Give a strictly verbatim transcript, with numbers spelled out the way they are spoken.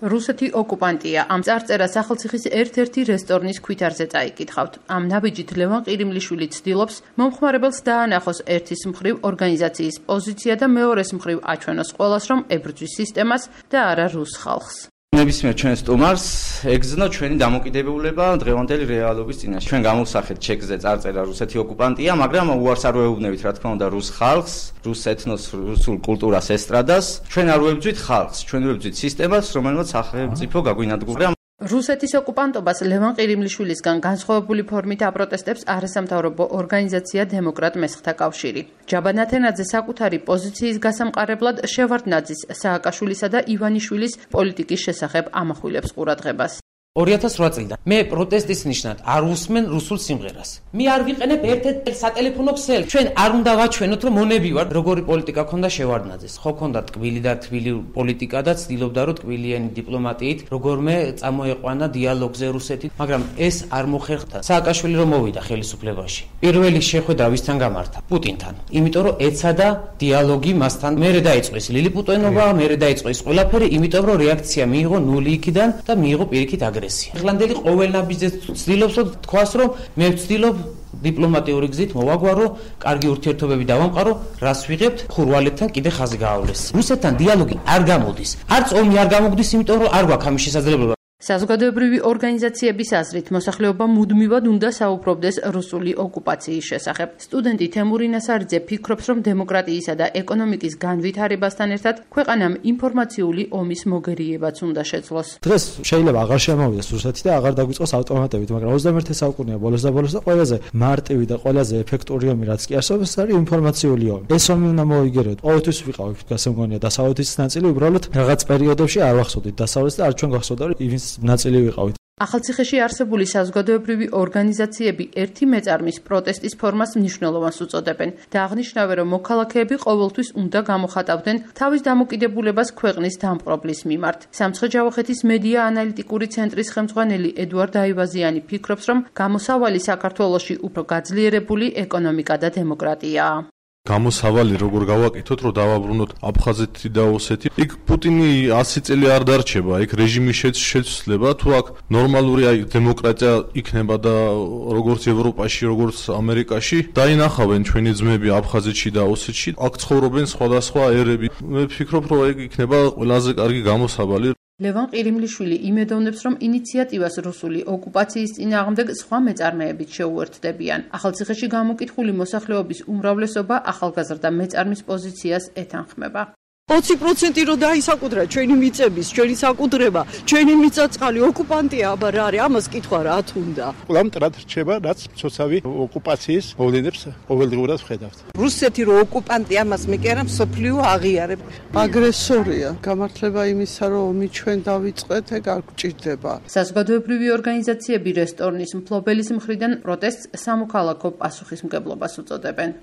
რუსეთი ოკუპანტია. ამ წარწერას სახელმწიფოს ერთ-ერთი რესტორნის ქვითარზე წაიკითხავთ. ამ ნაბიჯით ლევან ყირიმლიშვილი ცდილობს მომხმარებელს დაანახოს ერთის მხრივ ორგანიზაციის პოზიცია და მეორეს მხრივ აჩვენოს ყველას, რომ ებრძვის სისტემას და არა რუს ხალხს. ნებისმიერ ჩვენ სტუმარს ეგზნო ჩვენი დამოკიდებულება დღევანდელი რეალობის წინაშე. ჩვენ გამოვსახეთ ჩეკზე წარწერა რუსეთი ოკუპანტია, მაგრამ უარს არ ვეუბნებით, რა თქმა უნდა, რუს ხალხს, რუს ეთნოს, რუსულ კულტურას, ესტრადას. ჩვენ არ ვებძვით ხალხს, ჩვენ ვებძვით სისტემას, რომელმაც სახელმწიფო გაგვინადგურა. რუსეთის ოკუპანტობას ლევან ყირიმლიშვილისგან განსხვავებული ფორმით აპროტესტებს არასამთავრობო ორგანიზაცია დემოკრატ მესხთა კავშირი. ჯაბა ნათენაძე საკუთარი პოზიციის გასამყარებლად შევარდნაძის, სააკაშვილისა და ივანიშვილის პოლიტიკის შესახებ ამახვილებს ყურადღებას. ორი ათას რვა წლიდან მე პროტესტის ნიშნად არ უსმენ რუსულ სიმღერას. მე არ ვიყენებ ერთ-ერთ სატელეფონო ქსელს. ჩვენ არ უნდა ვაჩვენოთ, რომ მონები ვარ. როგორი პოლიტიკა ქონდა შევარდნაძეს. ხო ქონდა ტკბილი და თბილი პოლიტიკა და ცდილობდა რომ ტკბილიანი დიპლომატიით როგორმე წამოეყვანა დიალოგზე რუსეთით, მაგრამ ეს არ მოხერხდა. სააკაშვილი რომ მოვიდა ხელისუფლებაში. პირველი შეხვედრა ვისთან გამართა? პუტინთან. იმიტომ რომ ეცადა დიალოგი მასთან. მერე დაიწყო ის ლილიპუტენობა, მერე დაიწყო ის ყველაფერი, იმიტომ რომ რეაქცია მიიღო ნული იქიდან და მიიღო პირიქით აგრესია. ირლანდელი ყოველ ნაბიჯზე ცდილობს რომ თქვას რომ მე ვცდილობ დიპლომატიური გზით მოვაგვარო, კარგი ურთიერთობები დავამყარო, რას ვიღებთ, ხურვალებთან კიდე ხაზი გაავლეს. რუსეთთან დიალოგი არ გამოდის. არც ომი არ გამოდის, იმიტომ რომ არ გვაქვს ამის შესაძლებლობა. საზოგადოებრივი ორგანიზაციების აზრით მოსახლეობა მუდმივად უნდა საუბრობდეს რუსული ოკუპაციის შესახებ. სტუდენტი თემური ნასარიძე ფიქრობს, რომ დემოკრატიისა და ეკონომიკის განვითარებასთან ერთად ქვეყანამ ინფორმაციული ომის მოგერიებაც უნდა შეძლოს. დღეს შეიძლება აღარ შემოვიდეს რუსეთი და აღარ დაგვიწყოს ავტომატებით, მაგრამ ოცდამეერთე საუკუნეა ბოლოს და ბოლოს და ყველაზე მარტივი და ყველაზე ეფექტური ომი რაც კი არსებობს, არის ინფორმაციული ომი. ეს ომი უნდა მოიგეროთ. ყოველთვის ვიყავით გასემგონია დასავლეთის ნაწილი, უბრალოდ რაღაც პერიოდებში არ ვახსოვდით დასავლეთს და არ ჩვენ გახსოვდა რომ ივინს ნაწილი ვიყავით. ახალციხეში არსებული საზოგადოებრივი ორგანიზაციები ერთი მეწარმის პროტესტის ფორმას მნიშვნელოვანს უწოდებენ და აღნიშნავენ, რომ მოქალაქეები ყოველთვის უნდა გამოხატავდნენ თავის დამოკიდებულებას ქვეყნის დამპყრობლის მიმართ. სამცხე-ჯავახეთის მედია ანალიტიკური ცენტრის ხელმძღვანელი ედუარდ აივაზიანი ფიქრობს, რომ გამოსავალი საქართველოში უფრო გაძლიერებული ეკონომიკა და დემოკრატიაა. გამოსავალი როგორ გავაკეთოთ, რომ დავაბრუნოთ აფხაზეთი და ოსეთი. იქ პუტინი ასი წელი არ დარჩება, იქ რეჟიმის შეცვლება, თუ აქ ნორმალური აი დემოკრატია იქნება და როგორც ევროპაში, როგორც ამერიკაში, დაინახავენ ჩვენი ძმები აფხაზეთში და ოსეთში, აქ ცხოვრობენ სხვადასხვა ერები. მე ვფიქრობ, რომ ეგ იქნება ყველაზე კარგი გამოსავალი. ლევან ყირიმლიშვილი იმედოვნებს, რომ ინიციატივას რუსული ოკუპაციის წინააღმდეგ სხვა მეწარმეებიც შეუერთდებიან. ახალციხეში გამოკითხული მოსახლეობის უმრავლესობა ახალგაზრდა მეწარმის პოზიციას ეთანხმება. ოცი პროცენტი რო დაისაკუთრა ჩვენი მიწების, ჩვენი საკუთრება, ჩვენი მიწა-წყალი ოკუპანტია, აბა რა არის, ამას კითხვა რა თუნდა. ყველამ მტრად რჩება, რაც მცოცავი ოკუპაციის მოვლენებს ყოველდღურად ვხედავთ. რუსეთი რო ოკუპანტია, ამას მე კი არა მსოფლიო აღიარებ. აგრესორია, გამართლება იმისა, რომ ომი ჩვენ დავიწყეთ, ეგ არ გჭირდება. საზოგადოებრივი ორგანიზაციები რესტორნის მფლობელის მხრიდან პროტესტს სამოქალაქო პასუხისმგებლობას უწოდებენ.